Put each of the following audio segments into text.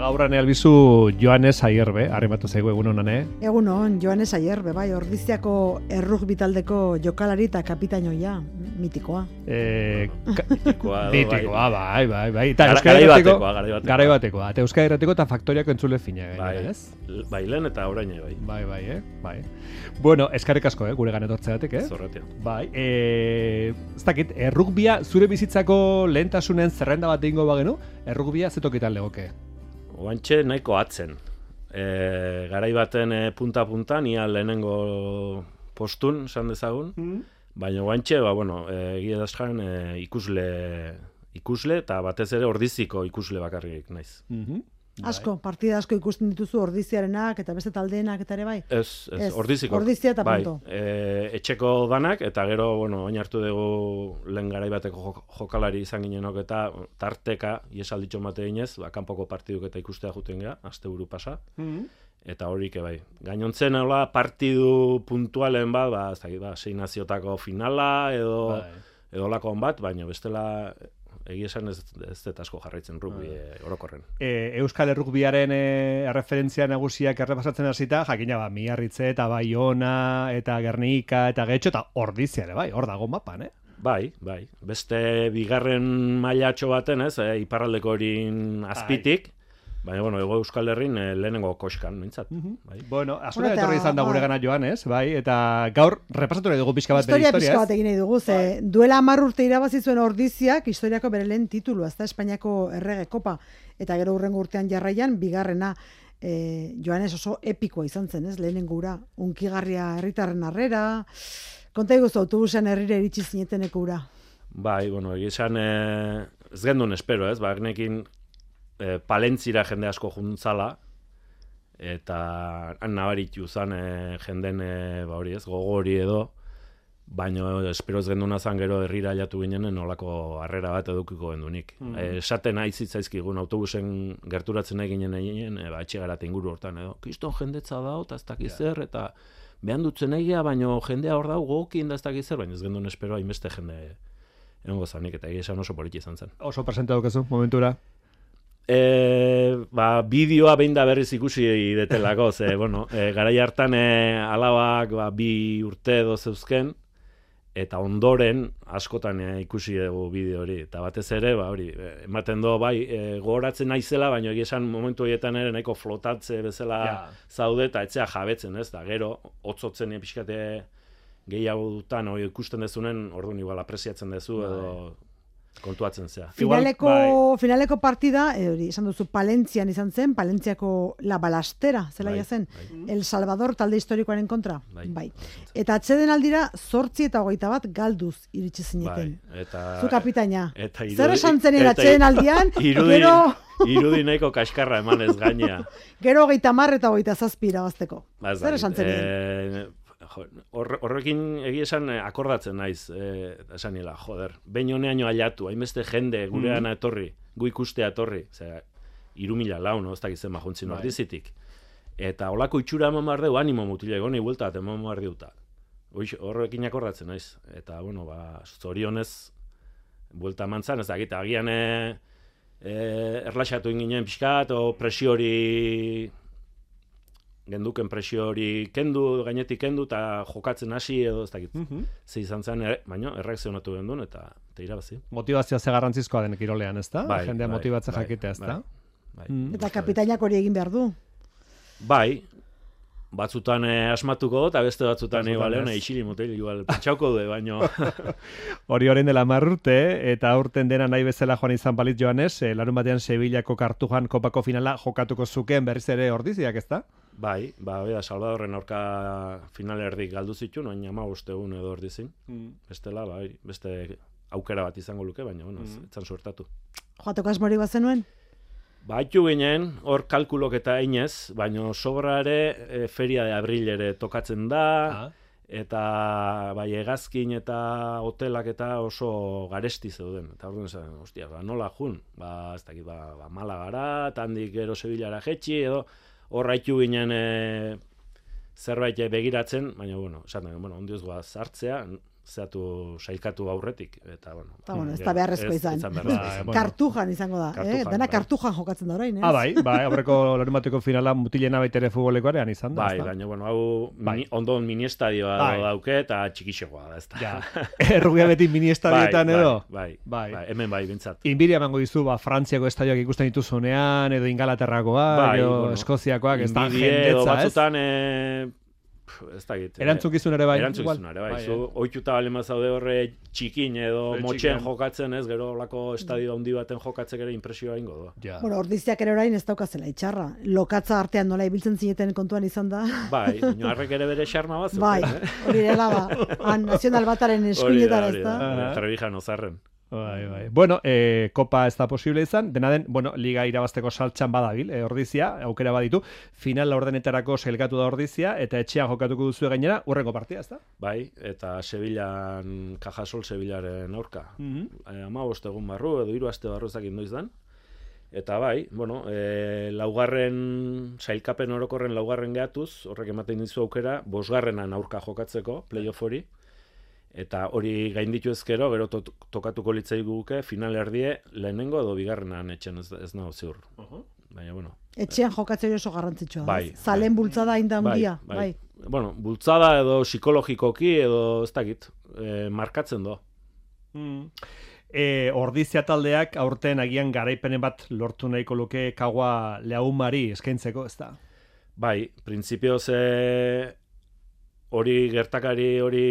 Gaurran albizu Joanes Aierbe, harrimatu zaigu egun honan, Egunon, Joanes Aierbe, bai, Ordiziako errugbi taldeko jokalari eta kapitainoia, mitikoa. Mitikoa, bai. Garai batekoa. Eta Euskadi Irratiko eta Faktoriako entzule fina. Bai, lehen eta orain, bai. Bai. Bueno, eskarrik asko, gure ganetortzeatek, Zorratia. Bai, ez dakit, errugbia zure bizitzako lehentasunen zerrenda bat egingo bagenu, errugbia zetokitan legoke? Oantxe nahiko atzen. Garai baten punta-punta, nia lehenengo postun, esan dezagun. Baina oantxe, egia daskan ikusle eta batez ere Ordiziko ikusle bakarrik naiz. Asko, partida asko ikusten dituzu Ordiziarenak eta beste taldeenak eta ere bai? Ez, Ordiziko. Ordizia eta punto. Etxeko danak, eta gero, oin hartu dugu lehen garai bateko jokalari izan ginenok eta tarteka, iesalditxo mate ginez, kanpoko partiduk eta ikustea juten geha, asteburu pasa. Eta horik, bai. Gainontzen, partidu puntualen bat, sei naziotako finala, edo lakoan bat, baina bestela egia esan ez dut asko jarraitzen rugbi orokorren. Euskal Errugbiaren referentzia nagusiak errepasatzen hasita, jakina Miarritze eta Baiona eta Gernika eta Getxo eta Ordizia ere bai, hor dago mapan, Bai. Beste bigarren mailatxo baten, iparraldeko horin azpitik, baina, Ego Euskal Herrin lehenengo koskan, mintzat. Bueno, azura etorri izan da gure gana Joanes, bai, eta gaur repasatu nahi dugu pixka bat bere historia, pixka bat egin nahi dugu, duela 10 urte irabazi zuen Ordiziak historiako bere lehen titulu, azta Espainiako errege kopa, eta gero hurrengo urtean jarraian, bigarrena, Joanes oso epikoa izan zen, lehenengo ura, unkigarria herritarren harrera, konta iguzu autobusean herrira iritsi zineteneko ura. Bai, egizan ez gendun espero, bagnekin Palentzira jende asko juntzala, eta nabaritu zan jenden gogori edo, baina espero ez genduna zan gero herrira jatu ginen nolako harrera bat edukiko gendunik. Esaten aizitzaizkigun autobusen gerturatzen nahi ginen etxegarat inguru hortan edo, kiston jendetza dao, eta ez dakiz zer, eta behan dutzen egia, baina jendea hor dau gokin da ez dakiz zer, baina ez gendun espero hainbeste jende egongo zanik, eta egia esan oso politi izan zen. Oso presente daukazu, momentura? Bideoa behin da berriz ikusi detelako, garai hartan alabak 2 urte edo zeuzken, eta ondoren askotan ikusi dugu bideo hori, eta batez ere, ematen do, gogoratzen naizela, baina egia esan momentu horietan ere nahiko flotatze bezala zaude, eta etzea jabetzen, da gero, hotzotzen pixkate gehiago dutan, ikusten dezunen, orduan igual apresiatzen dezu, edo kontuatzen zea. Finaleko partida, esan duzu, Palentzian izan zen, Palentziako La Balastera, zela zen, El Salvador talde historikoaren kontra. Bai. Eta atzeden aldira, 8 eta 21 galduz iritsi zineten. Zu kapitaina. Zer esan zenien atzeden aldian, gero... Irudi nahiko kaskarra emanez gainea. Gero 30 eta 27 irabazteko. Zer esan zenien? Horrekin egia esan akordatzen naiz, esan nila, behin honeaino aliatu, hainbeste jende gurean etorri, gu ikustea etorri, 3.000 laun, ez dakitzen majuntzin Ordizitik. Eta holako itxura eman behar dugu, animo mutile goni buelta, eman behar diuta. Horrekin akordatzen naiz. Eta, zorionez, buelta eman zan, ez dakit, agian erlaxatu inginen pixkat, o presio hori... genduken presio hori gainetik kendu, eta jokatzen hasi edo ez dakit. Ze izan zen, baina erreakzionatu gendun, eta irabazi. Motivazioa ze garrantzizkoa den kirolean, ez da? Jendea motibatzen jakitea, ez da? Eta kapitainak hori egin behar du? Bai, batzutan asmatuko, eta beste batzutan isili motel, pentsauko du, baino. Hori orain dela 10 urte, eta aurten dena nahi bezala joan izan balit Joanes, larun batean Sevillako Kartujan kopako finala jokatuko zuken berriz ere Ordiziak, ez da? Bai, Salvadorren aurka final erdik galdu zituen, oin 15 egun edo Ordizin. Bestela, beste aukera bat izango luke, baina, etzan suertatu. Joateko asmori bat zenuen? Baitu ginen, hor kalkulok eta inez, baina sobra ere feria de abril ere tokatzen da, eta hegazkin eta hotelak eta oso garesti zeuden. Eta orduan zen, nola jun? Ez dakit, Malagara, eta handik gero Sevillara jetxi, edo hor haitu ginen zerbait begiratzen, baina, ondioz goaz hartzea, sailkatu aurretik, eta bueno, ez da beharrezko izan. Kartujan izango da, dena kartujan jokatzen da orain, aurreko larunbateko finala mutilena baitere futbolekoarean izan da. Bai, baina, hau ondo mini-estadioa dauke, eta txikixegoa da, ez da. Errugia beti mini-estadioetan edo? Bai, hemen bai, bintzat. Inbiria emango dizu, Frantziako estadioak ikusten dituzunean, edo Ingalaterrakoak, edo Eskoziakoak, ez da jendetza, ez? Ez da git. Erantzukizun ere bai. Zu oituta bale mazaude horre txikin edo motxen jokatzen, ez, gero olako estadio handi baten jokatzek ere impresioa ingo da. Bueno, Ordiziak ere orain ez daukazela itxarra. Lokatza artean nola ibiltzen zineten kontuan izan da. Bai, Oñarrek ere bere xarma bat. Bai, hori dela ba. Nazional bataren eskuinetara ez da. Trebijan ozarren. Bai. Bueno, kopa ez da posible izan, dena den, liga irabazteko saltxan badabil, Ordizia, aukera baditu, final laurdenetarako sailkatu da Ordizia, eta etxean jokatuko duzu gainera, urrengo partida, ez da? Bai, eta Sevillan, Cajasol Sevillaren aurka. 15 egun barru, edo 3 aste barru ezakin doizdan. Eta bai, laugarren, sailkapen orokorren laugarren gehatuz, horrek ematen dizu aukera, 5. aurka jokatzeko, playoff hori. Eta hori gainditu ezkero, gero tokatuko litzai guke, final erdie, lehenengo edo bigarrenan etxen ez nago ziur. Baina, etxean jokatzea oso garrantzitsua. Bai. Zalen bultzada ainda handia. Bai. Bultzada edo psikologikoki edo ez dakit, markatzen do. Ordizia taldeak aurten agian garaipenen bat lortu nahiko luke Kagua Leaumari eskaintzeko, ez da? Bai, printzipioz hori gertakari hori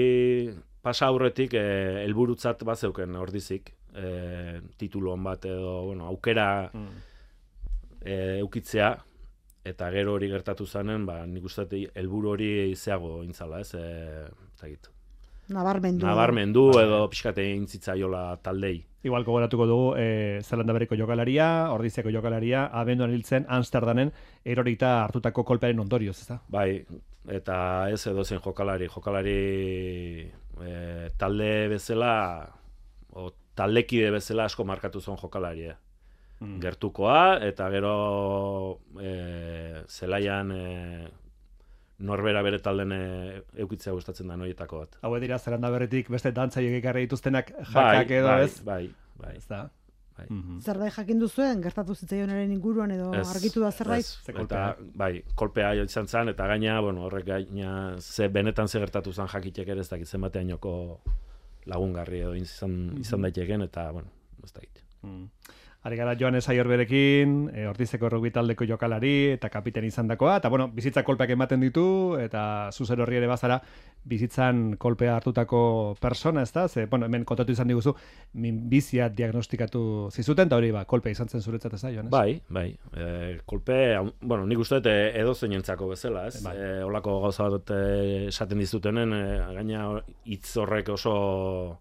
pasa aurretik helburutzat bazeuken Ordizik, titulu on bat edo aukera eukitzea, eta gero hori gertatu zanen, nik uste helburu hori zeago intzala, ez? Nabarmendu edo pixkate intzitzaiola taldei. Igual gogoratuko dugu, Zelanda Berriko jokalaria, Ordiziako jokalaria, abenduan hiltzen Amsterdamen erorita hartutako kolpearen ondorioz, ez da? Bai, eta ez edozen jokalari talde bezala, o taldekide bezala asko markatu zuen jokalari. Gertukoa, eta gero zelaian norbera bere talden eukitzea gustatzen da noietako bat. Hau dira Zelanda Berritik beste dantzaileek ekarri dituztenak jakak edo ez? Bai. Ez da? Zerbait jakin duzuen, gertatu zitzaionaren inguruan edo argitu da zerbait? Eta, kolpea izan zen, eta gaina, horrek gaina, benetan ze gertatu zen jakitek ere ez dakit zenbateainoko lagungarri edo izan daiteken, eta, ez dakit. Ari gara Joanes Aiorberekin, Ordizeko rugby taldeko jokalari eta kapiten izandakoa, eta bizitza kolpeak ematen ditu, eta zuzer horri ere bazara bizitzan kolpea hartutako persona, ez da? Hemen kontatu izan diguzu, minbizia diagnostikatu zizuten, eta hori kolpea izan zen zuretzat, ez da, Joanes? Bai. Kolpe, nik uste edo zeinentzako bezala, ez? Olako gauza bat esaten dizutenen, gaina hitz horrek oso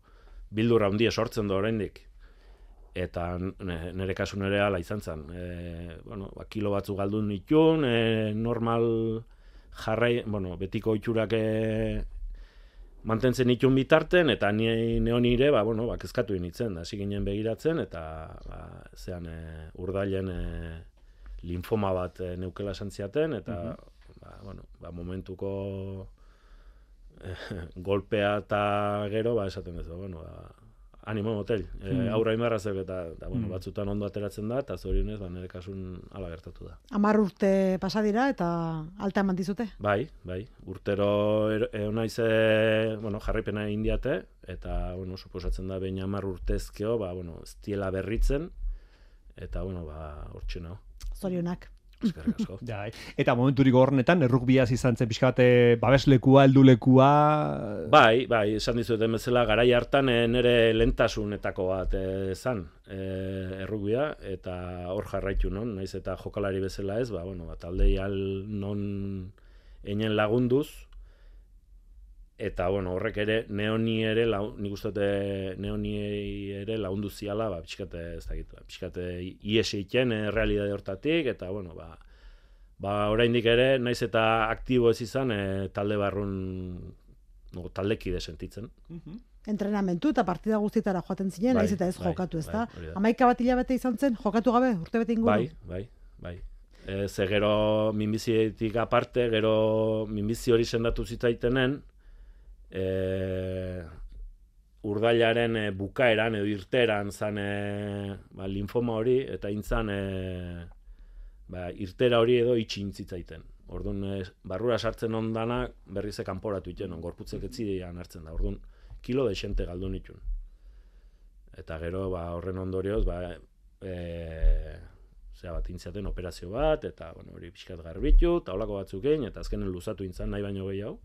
bildurra handia sortzen du oraindik. Eta nire kasu nire ala izan zen. Kilo batzu galdu nituen, normal jarrai, betiko itxurak mantentzen nituen bitarten, eta neon ire, kezkatu initzen, hasi ginen begiratzen, eta zean urdailen linfoma bat neukela esan ziaten, eta momentuko golpea eta gero, esaten ez, animo motel, aurra imarra zeu eta batzutan ondo ateratzen da, eta zorionez, nire kasun ala gertatu da. 10 urte pasa dira eta alta eman dizute? Bai, urtero naiz jarraipena egin diate, eta suposatzen da behin 10 urtezkeo, ez diela berritzen, eta hortxe nago. Zorionak. Eta momenturik horrenetan, errukbiaz izan zen pixka bat babeslekua, heldulekua... Bai, esan dizueten bezala, garai hartan nire lentasunetako bat zan errukbia, eta hor jarraitu non, naiz eta jokalari bezala ez, taldei non einen lagunduz, eta horrek ere neoni ere nik uste neoni ere lagundu ziala pixkate ez dakit pixkate ies egiten realidade hortatik eta oraindik ere naiz eta aktibo ez izan talde barrun taldekide sentitzen. Entrenamentu eta partida guztietara joaten zinen, naiz eta ez jokatu, ezta? 11 bat hilabete izan zen, jokatu gabe, urtebete inguru? Bai. Ze gero minbizietik aparte, gero minbizi hori sendatu zitaitenen, urdailaren bukaeran edo irteran zan linfoma hori, eta intzan irtera hori edo itxintzitzaiten. Orduan, barrura sartzen ondana berriz kanporatu iten, gorputzek etzidean hartzen da. Orduan, kilo desente galdu nitun. Eta gero, horren ondorioz, intziaten operazio bat, eta hori pixkat garbitu, eta holako batzuk egin, eta azkenen luzatu intzan nahi baino gehiago.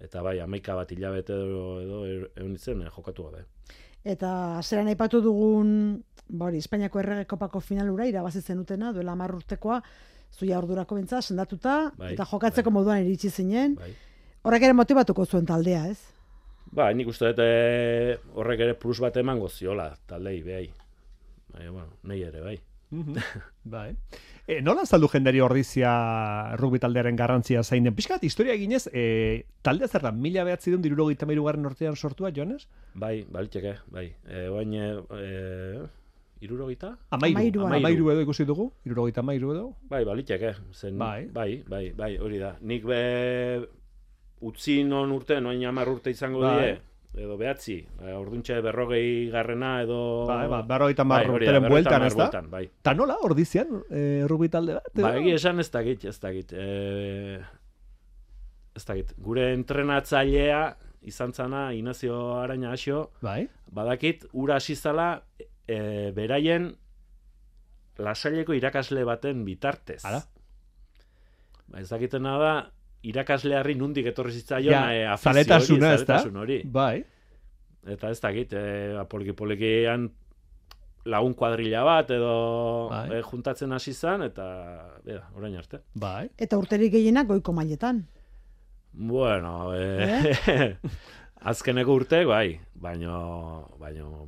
Eta 11 bat hilabete edo egon itzen jokatu gabe. Eta zeran aipatu dugun, Espainiako Errege Kopako finalura irabazi zenutena, duela 10 urtekoa, zuia ordurako bentza, sendatuta, eta jokatzeko moduan iritsi zinen. Horrek ere motibatuko zuen taldea, ez? Nik uste dut horrek ere plus bat emango ziola, taldei, behai. Nahi ere, bai. Bai. Nola azaldu jendari Ordizia rugby taldearen garrantzia zain den? Piskat, historia eginez, taldea zer da, 1973 urtean sortua, Jones? Bai, baliteke, bai. Oain, 70? Amairu edo ikusi dugu? 73 edo? Bai, baliteke. Bai, hori da. Nik utzi non urte, noin 10 urte izango die, edo 9, orduntxe 40 garrena edo... Bai, 50 urteren bueltan, ez da? Bai. Ta nola, Ordizian, rugby talde bat? Egi esan ez dakit. Gure entrenatzailea izan zana, Ignacio Araña Asio, badakit, ura asizala beraien lasaileko irakasle baten bitartez. Ez dakitena da, irakaslearri nundik etorri zitzaion zaletasun hori. Bai. Eta ez dakit, poliki-polikian lagun kuadrilla bat edo juntatzen hasi zen, eta orain arte. Bai. Eta urterik gehienak goiko mailetan. Bueno, azkeneko urte, baino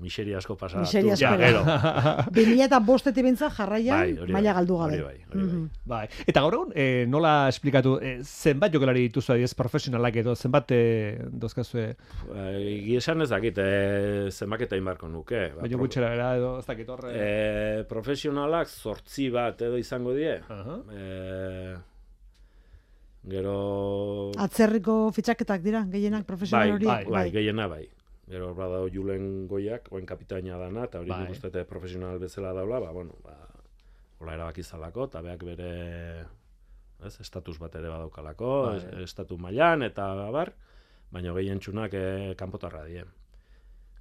miseria asko pasatu. Miseria asko. 2005 bintza jarraian maila galdu gabe. Bai. Eta gaur egun, nola esplikatu, zenbat jokalari dituzu adiez profesionalak edo, zenbat dozkazue? Giesan ez dakit, zenbaketa inbarko nuke. Baina gutxera era edo, ez dakit horre? Profesionalak 8 bat edo izango die. Gero... Atzerriko fitxaketak dira, gehienak profesional horiek? Bai, gehiena bai. Gero badao Julen Goiak, oen kapitaina dana, eta hori nik uste profesional bezala daula, hola erabakizalako, eta beak bere estatus bat ere badaukalako, estatu mailan, eta baina gehien txunak kanpotarra die.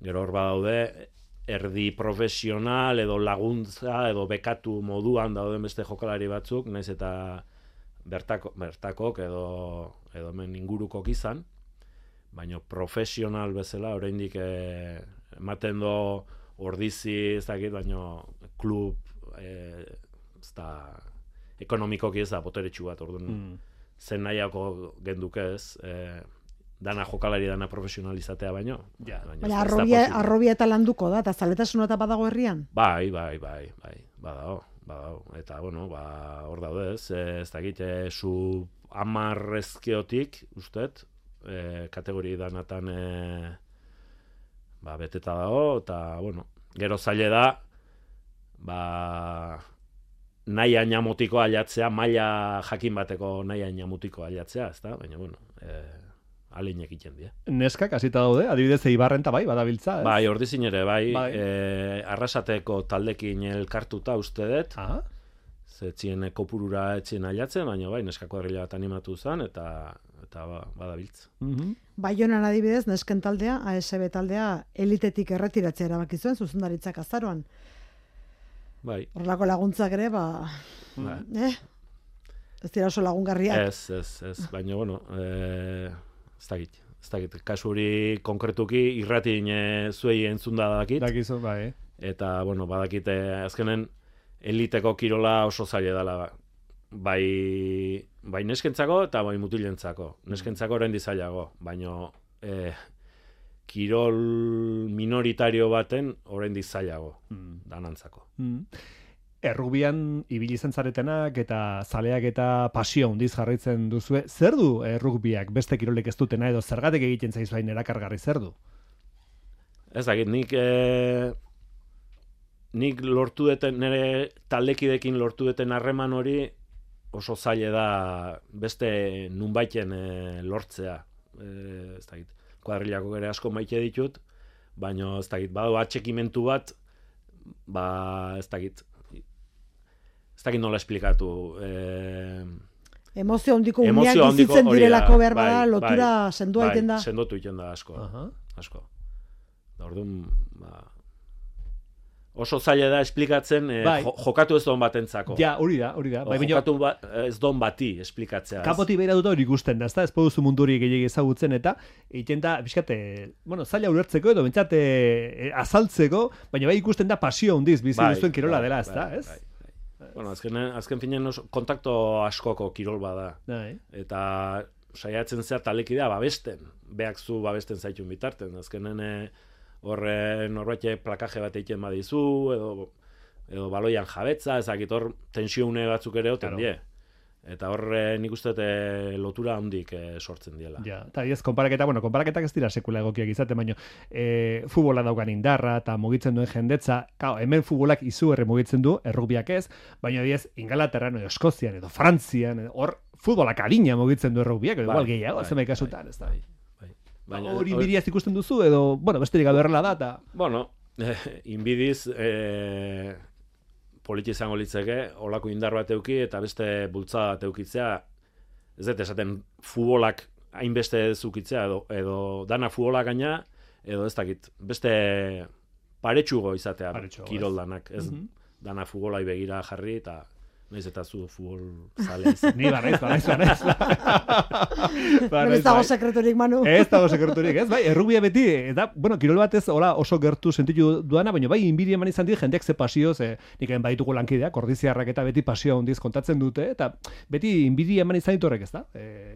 Gero hor badaude, erdi profesional, edo laguntza, edo bekatu moduan dauden beste jokalari batzuk, naiz eta bertakok edo hemen ingurukok izan, baina profesional bezala oraindik ematen do Ordizi, ez dakit, baina klub ekonomikoki ez da boteretsu bat, orduan zen nahiako genduke ez, dana jokalari, dana profesionalizatea baino. Baina arrobia eta landuko da, eta zaletasuna eta badago herrian? Bai, badago. Eta, hor daude ez dakit, zu 10 ezkeotik, ustet, kategori danatan beteta dago, eta, gero zaile da, nahi ainamutiko ailatzea, maila jakin bateko nahi ainamutiko ailatzea, ez da, baina, alinek egiten dira. Neskak hasita daude, adibidez Eibarren bai, badabiltza, ez? Bai, Ordizin ere, Arrasateko taldekin elkartuta uste dut, zetzien kopurura etzien ailatzen, baina neskako herrila bat animatu zen, eta badabiltz. Baionan adibidez, nesken taldea, ASB taldea, elitetik erretiratzea erabaki zuen, zuzendaritzak azaroan. Bai. Horrelako laguntzak ere, ez dira oso lagungarriak. Ez, baina, ez dakit, kasu hori konkretuki irratin zuei entzunda dakit. Dakizu, bai. Eta, badakit, azkenen eliteko kirola oso zaila dela. Bai neskentzako eta bai mutilentzako. Neskentzako orain dizailago, baina kirol minoritario baten orain dizailago, danantzako. Errugbian ibili izan zaretenak eta zaleak eta pasio handiz jarraitzen duzue. Zer du errugbiak beste kirolek ez dutena edo zergatik egiten zaizu hain erakargarri zer du? Ez dakit, nik lortu duten, nire taldekidekin lortu duten harreman hori oso zaila da beste nunbaiten lortzea. Ez dakit, kuadrilako ere asko maite ditut, baina ez dakit, badu atxekimentu bat, ez dakit nola esplikatu. Emozio handiko uneak bizitzen direlako behar bada, lotura sendua egiten da. Sendotu egiten da asko. Asko. Orduan, oso zaila da esplikatzen jokatu ez don batentzako. Ja, hori da. Jokatu ez don bati esplikatzea. Kapoti behira dut hori ikusten da, ez poduzu munduri gehiagi ezagutzen eta egiten da, bizkate, zaila ulertzeko edo bentsate azaltzeko, baina bai ikusten da pasio handiz bizi duzuen kirola dela, ez da, ez? Bueno, azken finean kontakto askoko kirol bada. Eta saiatzen zea talekidea babesten. Beak zu babesten zaitun bitarten. Azkenen horre norbait plakaje bat egiten badizu, edo baloian jabetza, ezakit hor tensione batzuk ere oten die. Eta horre nik uste lotura handik sortzen diela. Ja, eta konparaketak ez dira sekula egokiak izaten, baina futbola daukan indarra eta mugitzen duen jendetza, hemen futbolak izugarri mugitzen du, errugbiak ez, baina diez Ingalaterran edo Eskozian edo Frantzian, hor futbolak adina mugitzen du errugbiak, edo igual gehiago, zenbait kasutan, ez da. Hori inbidiaz ikusten duzu, edo, besterik gabe horrela da, eta... Bueno, inbidiz... politi izango litzeke, olako indar bat euki eta beste bultzada bat eukitzea, ez dut esaten futbolak hainbeste zukitzea, edo dana futbolak gaina, edo ez dakit, beste paretsugo izatea kiroldanak, ez dana futbolai begira jarri, eta nahiz eta zu futbol zale izan. Ni barraiz. Ez dago sekreturik, Manu. Ez dago sekreturik, ez? Bai, errugbia beti, eta, kirol batez oso gertu sentitu duana, baina bai, inbiri eman izan dit, jendeak ze pasio, nik baditugu lankideak, ordiziarrak eta beti pasio handiz kontatzen dute, eta beti inbiri eman izan ditorrek, ez da?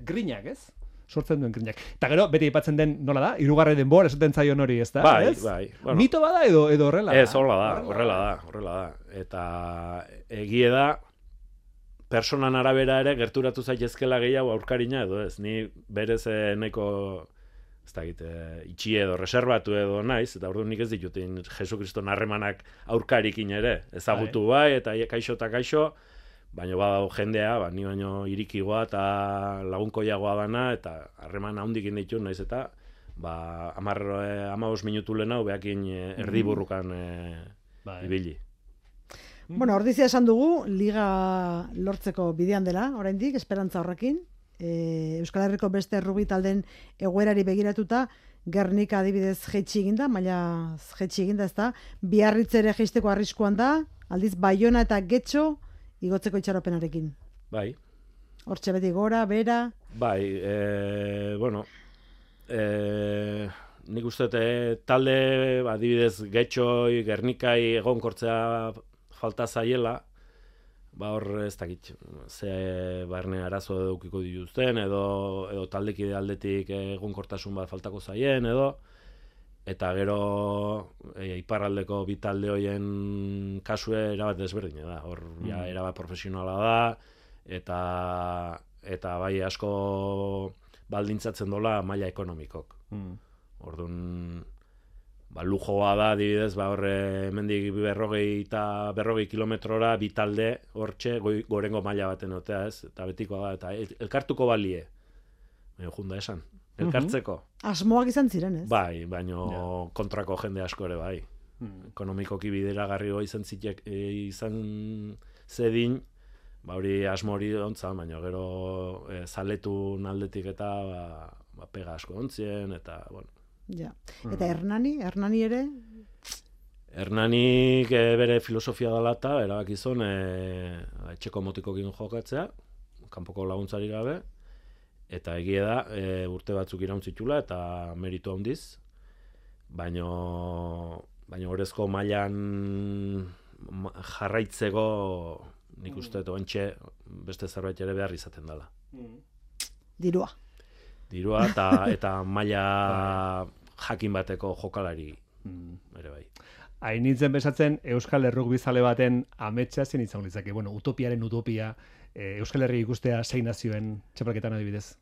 Grinak, ez? Sortzen duen grinak. Eta gero, beti aipatzen den, nola da? Hirugarren denbor, esaten zaion hori, ez da? Bai. Bueno, mito bada edo horrela da? Ez, horrela da. Eta egie da, personan arabera ere gerturatu zaitezkela gehiago aurkarina edo ez. Ni berez nahiko ez dakit, itxi edo reserbatu edo naiz, eta orduan nik ez ditutin Jesu Kriston harremanak aurkarikin ere. Ezagutu bai, eta kaixo, baina badago jendea, ni baino irikigoa eta lagunkoiagoa dana, eta harreman handikin ditu naiz eta 15 minutu lehenago behakin erdiburrukan ibili. Bueno, ordizia esan dugu, liga lortzeko bidean dela, oraindik, esperantza horrekin. Euskal Herriko beste errugbi taldeen egoerari begiratuta, Gernika adibidez jaitsi eginda, maila jaitsi eginda, ez da, Biarritz ere jaisteko arriskuan da, aldiz Baiona eta Getxo igotzeko itxaropenarekin. Bai. Hortxe beti gora, bera. Bai, nik uste talde, adibidez Getxoi, Gernikai egonkortzea falta zaiela, hor ez dakit, ze barne arazo edukiko dituzten, edo taldekide aldetik egonkortasun bat faltako zaien, eta gero iparraldeko bi talde hoien kasue erabat desberdina da, hor erabat profesionala da, eta bai asko baldintzatzen dola maila ekonomikok. Orduan, lujoa da, adibidez, horre hemendik 40 kilometrora bi talde hortxe gorengo maila baten otea, ez? Eta betikoa da, eta elkartuko balie. Junda esan, elkartzeko. Asmoak izan ziren, ez? Bai, baino kontrako jende asko ere, bai. Ekonomikoki bideragarri izan zedin, hori asmo hori ontzan, baina gero zaletun aldetik eta pega asko ontzien, eta, bueno. Ja. Eta Hernani ere? Hernanik bere filosofia dela eta erabakizun etxeko motikokin jokatzea, kanpoko laguntzari gabe, eta egia da urte batzuk irauntzitula eta meritu handiz, baino horrezko mailan jarraitzeko nik uste oentxe beste zerbait ere behar izaten dela. Dirua eta maila jakin bateko jokalari ere bai. Hain nintzen besatzen Euskal Errugbi zale baten ametsa zen izan litzake. Utopiaren utopia, Euskal Herri ikustea 6 nazioen txapelketan adibidez.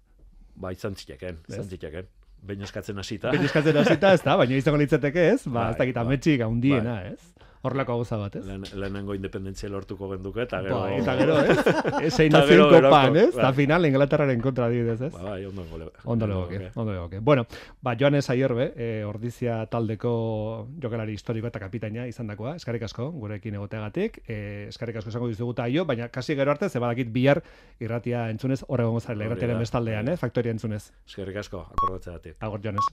Izan zitekeen. Behin eskatzen hasita, ez da, baina izango litzateke ez? Ez dakit ametsik handiena, ez? Horrelako gauza bat, ez? Lehenengo independentzia lortuko genduke, eta gero... Eta gero, ez? Zein nazioen kopan, ez? Eta final, Inglaterraren kontra dibidez, ez? Bai, ondo legoke. Bueno, Joanes Aiorbe, Ordizia taldeko jokalari historiko eta kapitaina izandakoa, eskerrik asko, gurekin egoteagatik, eskerrik asko esango dizugu aio, baina kasi gero arte, ze badakit bihar irratia entzunez, horregongo zarela, irratiaren bestaldean, Faktoria entzunez. Eskerrik asko, akordatzeagatik. Agor, Joanes.